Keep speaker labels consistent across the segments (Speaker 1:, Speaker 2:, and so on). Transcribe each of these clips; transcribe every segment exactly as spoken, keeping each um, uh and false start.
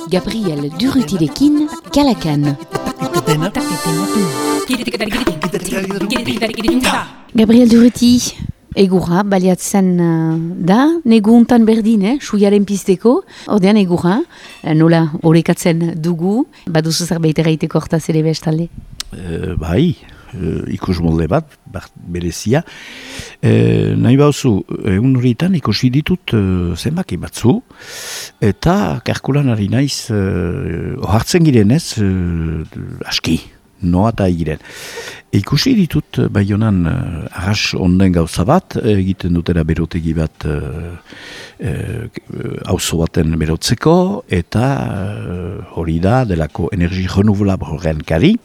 Speaker 1: Gabriel Durrutirekin, Kalakan. Gabriel Durruti, egurra baliatzen uh, da, neguntan berdin, eh, suiaren pizteko, ordean egurra, nola horrekatzen dugu, baduzu zerbait eraiteko hortaz ere bestalde?
Speaker 2: Uh, bai, uh, ikus molde bat, bat berezia. Uh, nahi bauzu, egun horietan ikusi ditut uh, zenbaki batzu, eta kalkulan ari naiz, uh, ohartzen girenez, uh, aski, noa eta egiren. Ikusi ditut Baionan uh, arras onden gauza bat, egiten dutera berotegi bat uh, uh, auzo baten berotzeko, eta uh, hori da delako energi renouvelable horren kari,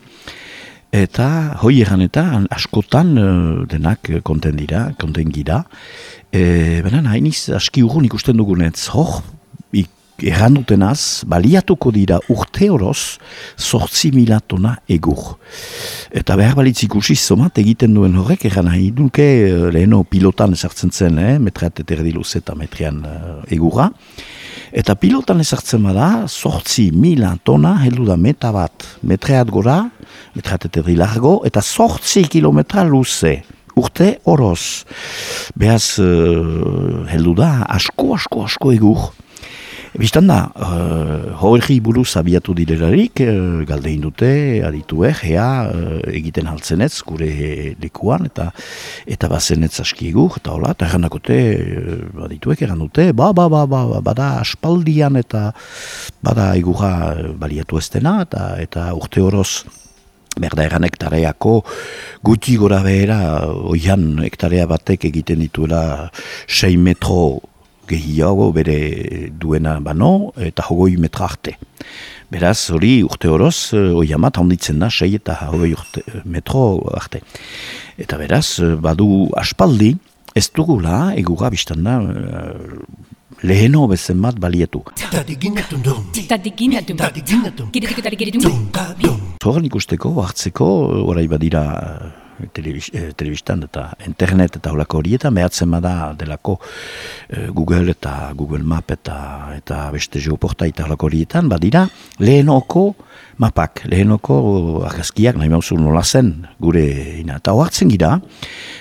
Speaker 2: eta hoi eran eta askotan uh, denak konten dira, konten gira. E, Benen hainiz aski urgun ikusten dugunetz, hor, erran dutenaz, baliatuko dira urte horoz, sortzi mila tona egur. Eta behar balitz ikusi zomat egiten duen horrek, erran nahi duke leheno pilotan esartzen zen, eh, metreat eterdi luz eta metrian uh, egurra. Eta pilotan esartzen bada, sortzi mila tona, heldu da meta bat, metreat gora, metreat eterdi largo, eta sortzi kilometra luze. Urte horoz. Behaz, uh, heldu da, asko, asko, asko egur. Bistan da, uh, horri buruz abiatu direlarik, uh, galdein dute, adituek, ea, uh, egiten haltzenetz, gure lekuan, eta eta bazenetz aski egur, eta hola, eta errandakote, uh, adituek erran dute, ba, ba, ba, ba, bada aspaldian, eta bada egurra baliatu ez dena, eta, eta urte horoz, berda eran hektareako guti gora behera, oian hektarea batek egiten dituela sei metro gehiago bere duena bano, eta hogoi metra arte. Beraz, hori urte horoz, oiamat handitzen da, sei eta hogoi urte, metro arte. Eta beraz, badu aspaldi, ez dugula, egura biztan da, leheno bezen bat balietu. Zoran ikusteko, hartzeko, orai badira telebistan eta internet eta holako horietan, behatzen bada delako Google eta Google Map eta, eta beste geoporta eta holako horietan, badira lehenoko mapak, lehenoko argazkiak, nahi mauzu nola zen gure ina. Eta hoartzen gira,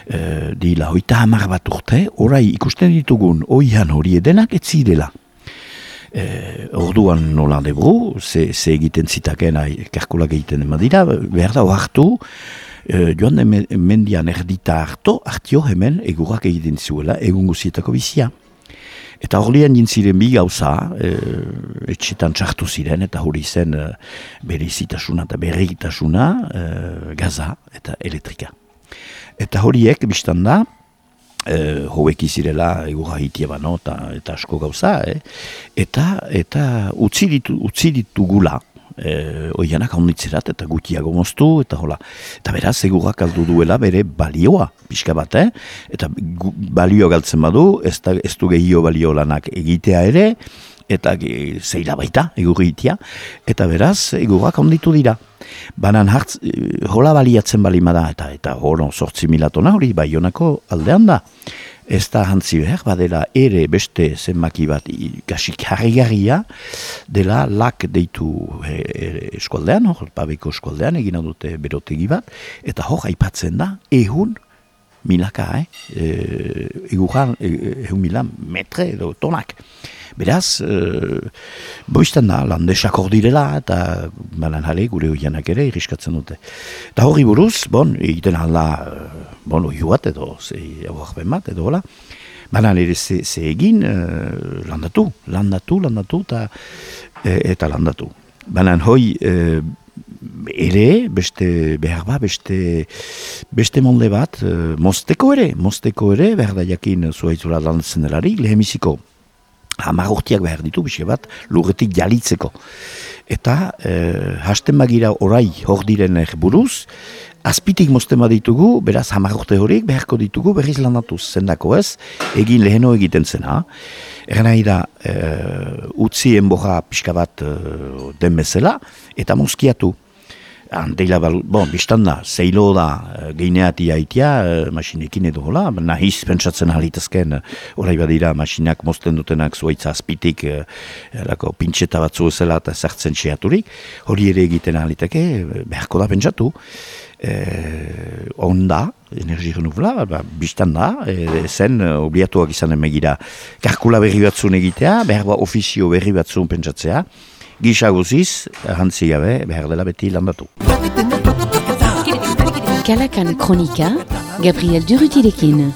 Speaker 2: e, dila hoita hamar bat urte, orai ikusten ditugun oian hori edenak etzidela. E, orduan nola debru, ze, ze egiten zitaken, karkulak egiten emadira, behar da hoartu, Uh, joan de mendian erdita harto, hartio hemen egurrak egiten zuela, egun guzietako bizia. Eta horlian jintziren bi gauza, uh, etxetan txartu ziren, eta hori zen uh, bereizitasuna eta berritasuna, uh, gaza eta elektrika. Eta horiek, biztan da, uh, hoek izirela egurra hitia bano, eta, eta asko gauza, eh? eta, eta utzi ditu, utzi ditugula, E, oianak haunditzerat eta gutiago moztu, eta hola. Eta beraz, egurrak aldu duela bere balioa, pixka bat, eh? Eta gu, balio galtzen badu, ez, da, ez du gehio balio lanak egitea ere, eta e, zeila baita, egurri itia, eta beraz, egurrak haunditu dira. Banan hartz, e, hola baliatzen balimada, eta eta horo sortzi mila tona hori, Baionako aldean da. Ez da hantzi behar, badela ere beste zenbaki bat kasik harrigarria dela lak deitu e, e, eskualdean, hor, Pabeko eskualdean, egina dute berotegi bat, eta hor aipatzen da, ehun milaka, eh? E, egurran, ehun mila metre edo tonak. Beraz, e, boiztan da, landesak hor direla, eta banan jale, gure oianak ere, irriskatzen dute. Eta horri buruz, bon, egiten alda, bon, oiu bat edo, zei aurben bat, edo hola, banan ere ze, ze egin, e, landatu, landatu, landatu, eta, e, eta landatu. Banan hoi, e, ere, beste behar ba, beste, beste molde bat, e, mozteko ere, mozteko ere, behar da jakin zuaitzula lantzen delari, lehemiziko, hamar urtiak behar ditu, bise bat, lurretik jalitzeko. Eta, eh, hasten bagira orai hor diren buruz, azpitik mozten baditugu, beraz hamar urte horiek beharko ditugu berriz lanatuz zendako ez, egin leheno egiten zena. Eran nahi da, eh, utzi enborra pixka bat eh, den bezala, eta mozkiatu. Anteila, bon, biztan da, zeilo da, geineati haitia, masinekin edo hola, nahiz pentsatzen alitazken, orai badira, masinak mozten dutenak zuaitza azpitik, lako pintxeta batzu ezela eta zertzen txeaturik, hori ere egiten aliteke, beharko da pentsatu, eh, onda, energi renuvela, ba, biztan da, e, zen obliatuak izanen megira, kalkula berri batzun egitea, behar ba ofizio berri batzun pentsatzea, gisa guziz, hantzi gabe, behar dela beti landatu.
Speaker 1: Kalakan Kronika, Gabriel Durutirekin.